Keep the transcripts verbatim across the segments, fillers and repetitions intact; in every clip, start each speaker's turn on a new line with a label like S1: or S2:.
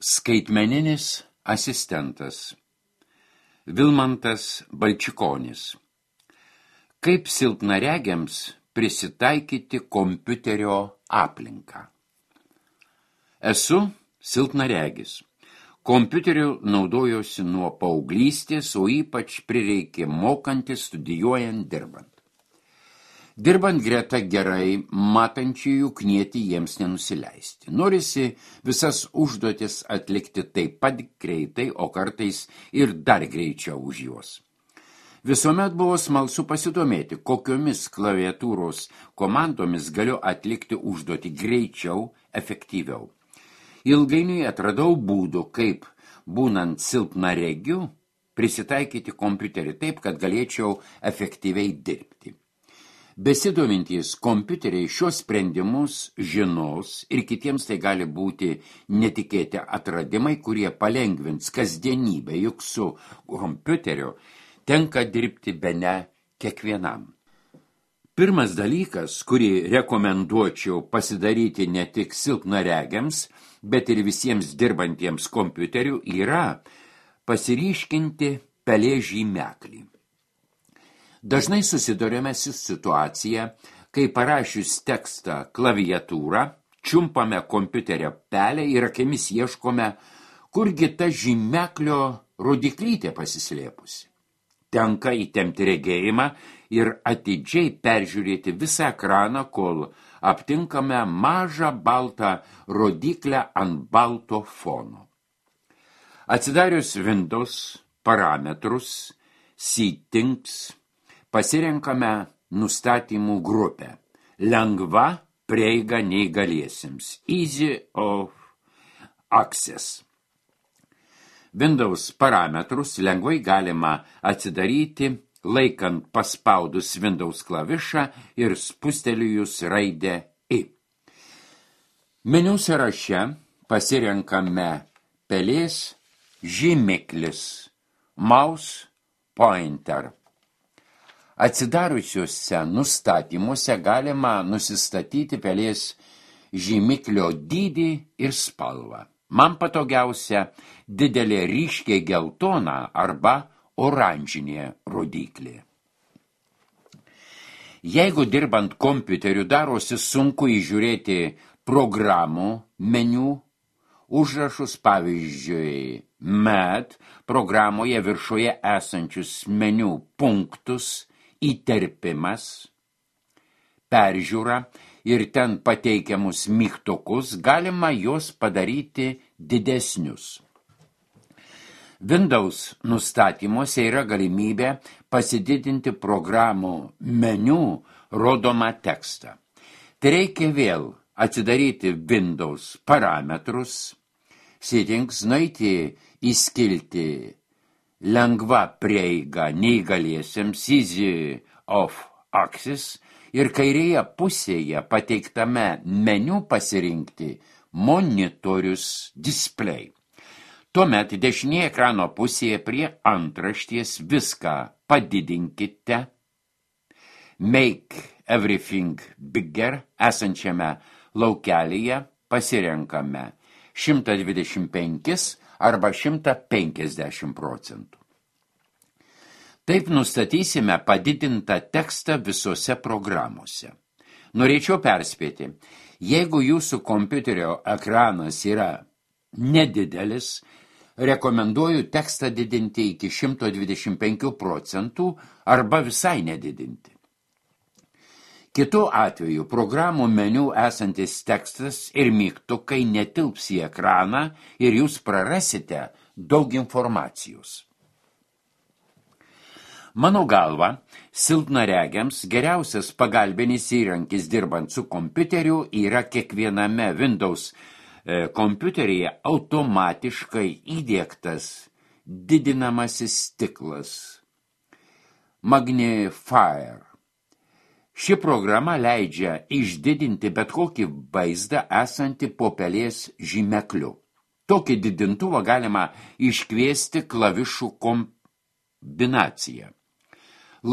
S1: Skaitmeninis asistentas Vilmantas Balčikonis. Kaip silpnaregiams prisitaikyti kompiuterio aplinką? Esu silpnaregis. Kompiuteriu naudojosi nuo paauglystės, o ypač prireikė mokantis, studijuojant, dirbant. Dirbant greta gerai matančiųjų knieti jiems nenusileisti. Norisi visas užduotis atlikti taip pat greitai, o kartais ir dar greičiau už juos. Visuomet buvo smalsu pasidomėti, kokiomis klaviatūros komandomis galiu atlikti užduotį greičiau, efektyviau. Ilgainiui atradau būdų, kaip, būnant silpnaregiu, prisitaikyti kompiuterį taip, kad galėčiau efektyviai dirbti. Besidomintys kompiuteriai šios sprendimus žinos ir kitiems tai gali būti netikėti atradimai, kurie palengvins kasdienybę, juk su kompiuteriu tenka dirbti bene kiekvienam. Pirmas dalykas, kurį rekomenduočiau pasidaryti ne tik silpnaregiams, bet ir visiems dirbantiems kompiuteriu, yra pasiryškinti pelės žymeklį. Dažnai susiduriame su situacija, kai parašius tekstą klaviatūrą, čiumpame kompiuterio pelę ir akimis ieškome, kurgi ta žymeklio rodiklytė pasislėpusi. Tenka įtempti regėjimą ir atidžiai peržiūrėti visą ekraną, kol aptinkame mažą baltą rodiklę ant balto fono. Atsidarius Windows parametrus, settings, pasirenkame nustatymų grupę. Lengva prieiga neįgaliesiems. Easy of access. Windows parametrus lengvai galima atsidaryti, laikant paspaudus Windows klavišą ir spustelėjus raidę I. Meniu sąraše pasirenkame pelės žymiklis, mouse pointer. Atsidariusiuose nustatymuose galima nusistatyti pelės žymiklio dydį ir spalvą. Man patogiausia didelė ryškiai geltona arba oranžinė rodiklė. Jeigu dirbant kompiuteriu darosi sunku įžiūrėti programų meniu, užrašus, pavyzdžiui, Met programoje viršuje esančius meniu punktus, įterpimas, peržiūra ir ten pateikiamus mygtukus, galima juos padaryti didesnius. Windows nustatymuose yra galimybė pasididinti programų meniu rodomą tekstą. Tai reikia vėl atsidaryti Windows parametrus, settings, nueiti į skiltį lengva prieiga neįgaliesiems, easy of access, ir kairėje pusėje pateiktame meniu pasirinkti monitorius display. Tuomet dešinėje ekrano pusėje prie antraštės viską padidinkite, make everything bigger esančiame laukelyje pasirenkame šimtas dvidešimt penkis arba šimtas penkiasdešimt procentų. Taip nustatysime padidintą tekstą visose programuose. Norėčiau perspėti, jeigu jūsų kompiuterio ekranas yra nedidelis, rekomenduoju tekstą didinti iki šimtas dvidešimt penkių procentų arba visai nedidinti. Kitu atveju programų meniu esantis tekstas ir mygtukai netilps į ekraną ir jūs prarasite daug informacijos. Mano galva, silpnaregiams geriausias pagalbinis įrankis dirbant su kompiuteriu yra kiekviename Windows e, kompiuteryje automatiškai įdiegtas didinamasis stiklas Magnifier. Ši programa leidžia išdidinti bet kokį vaizdą esantį po pelės žymekliu. Tokį didintuvą galima iškviesti klavišų kombinaciją.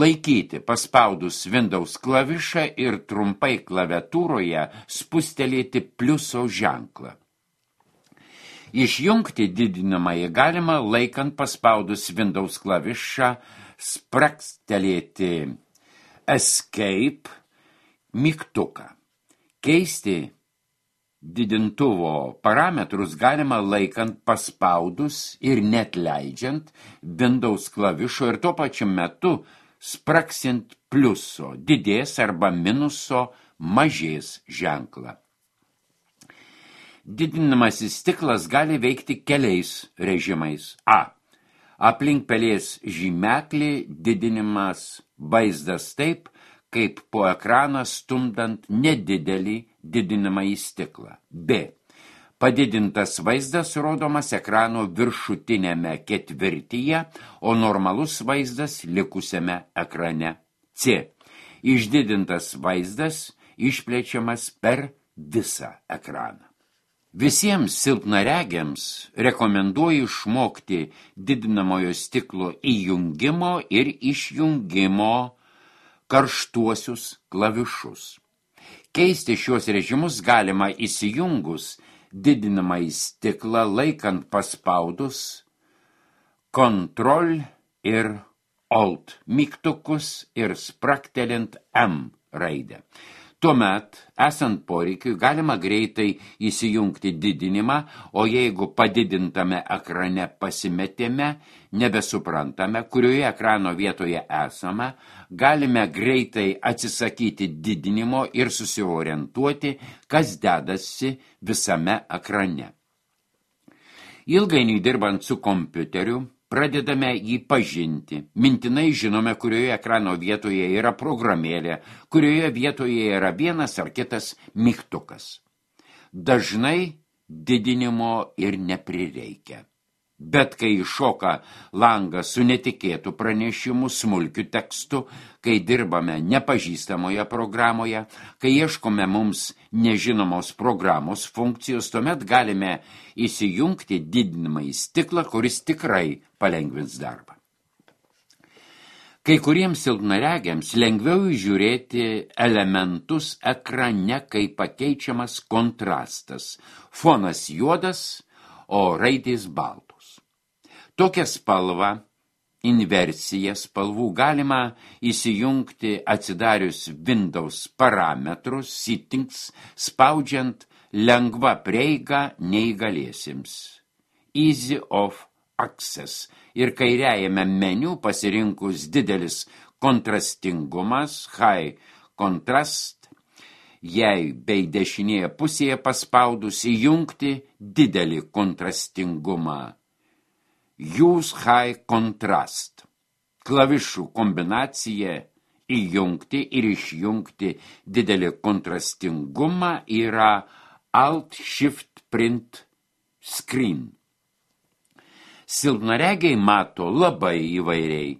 S1: Laikyti paspaudus Windows klavišą ir trumpai klaviatūroje spustelėti pliuso ženklą. Išjungti didinamąjį galima laikant paspaudus Windows klavišą, sprakstelėti Escape mygtuką. Keisti didintuvo parametrus galima laikant paspaudus ir net leidžiant Windows klavišo ir tuo pačiu metu spraksint pliuso, didės arba minuso mažės ženklą. Didinamasis stiklas gali veikti keliais režimais. A. Aplink pelės žymeklį didinimas vaizdas taip, kaip po ekraną stumdant nedidelį didinamąjį stiklą. B. Padidintas vaizdas rodomas ekrano viršutinėme ketvirtyje, o normalus vaizdas likusiame ekrane. C. Išdidintas vaizdas išplečiamas per visą ekraną. Visiems silpnaregiams rekomenduoju išmokti didinamojo stiklo įjungimo ir išjungimo karštuosius klavišus. Keisti šios režimus galima įsijungus didinamąjį stiklą laikant paspaudus Ctrl ir Alt mygtukus ir spraktelint M raidę. Tuomet, esant poreikiui, galima greitai įsijungti didinimą, o jeigu padidintame ekrane pasimetėme, nebesuprantame, kurioje ekrano vietoje esame, galime greitai atsisakyti didinimo ir susiorientuoti, kas dedasi visame ekrane. Ilgainiui dirbant su kompiuteriu, pradedame jį pažinti. Mintinai žinome, kurioje ekrano vietoje yra programėlė, kurioje vietoje yra vienas ar kitas mygtukas. Dažnai didinimo ir neprireikia. Bet kai iššoka langas su netikėtu pranešimu, smulkiu tekstu, kai dirbame nepažįstamoje programoje, kai ieškome mums nežinomos programos funkcijos, tuomet galime įsijungti didinamąjį stiklą, kuris tikrai palengvins darbą. Kai kuriems silpnaregiams lengviau įžiūrėti elementus ekrane, kai pakeičiamas kontrastas. Fonas juodas, o raidės baltos. Tokią spalvą, inversiją spalvų galima įsijungti atsidarius Windows parametrus, settings, spaudžiant lengva prieiga neįgaliesiems. Easy of access. Ir kairiajame meniu pasirinkus didelis kontrastingumas, high contrast, jei bei dešinėje pusėje paspaudus įjungti didelį kontrastingumą. Use high contrast. Klavišų kombinacija įjungti ir išjungti didelį kontrastingumą yra Alt Shift Print Screen. Silpnaregiai mato labai įvairiai.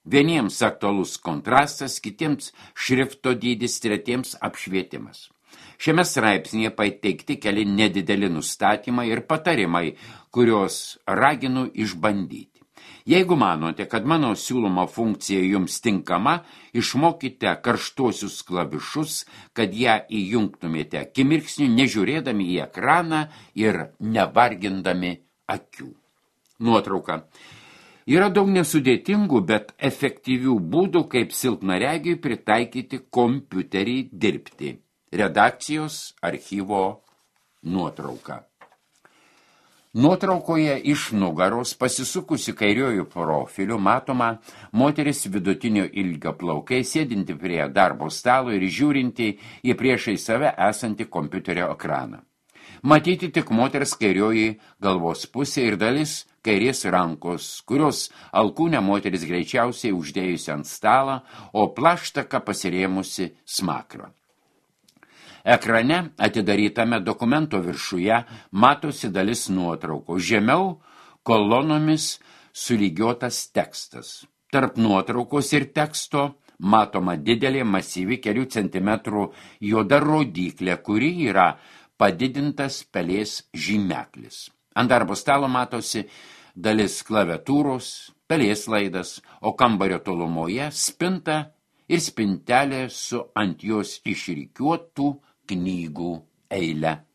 S1: Vieniems aktualus kontrastas, kitiems šrifto dydis, tretiems apšvietimas. Šiame straipsnėje pateikti keli nedideli nustatymai ir patarimai, kurios raginu išbandyti. Jeigu manote, kad mano siūloma funkcija jums tinkama, išmokite karštuosius klavišus, kad ją įjungtumėte akimirksniu, nežiūrėdami į ekraną ir nevargindami akių. Nuotrauka. Yra daug nesudėtingų, bet efektyvių būdų, kaip silpnaregiui pritaikyti kompiuterį dirbti. Redakcijos archyvo nuotrauka. Nuotraukoje iš nugaros pasisukusi kairiuoju profiliu matoma moteris vidutinio ilgio plaukai, sėdinti prie darbo stalo ir žiūrinti į priešai save esantį kompiuterio ekraną. Matyti tik moters kairioji galvos pusė ir dalis kairės rankos, kurios alkūnę moteris greičiausiai uždėjusi ant stalą, o plaštaka pasirėmusi smakrą. Ekrane atidarytame dokumento viršuje matosi dalis nuotraukos. Žemiau kolonomis sulygiotas tekstas. Tarp nuotraukos ir teksto matoma didelė masyvi kelių centimetrų juoda rodyklė, kuri yra padidintas pelės žymeklis. Ant darbo stalo matosi dalis klaviatūros, pelės laidas, o kambario tolumoje spinta ir spintelė su ant jos išrikiuotų knygų eile.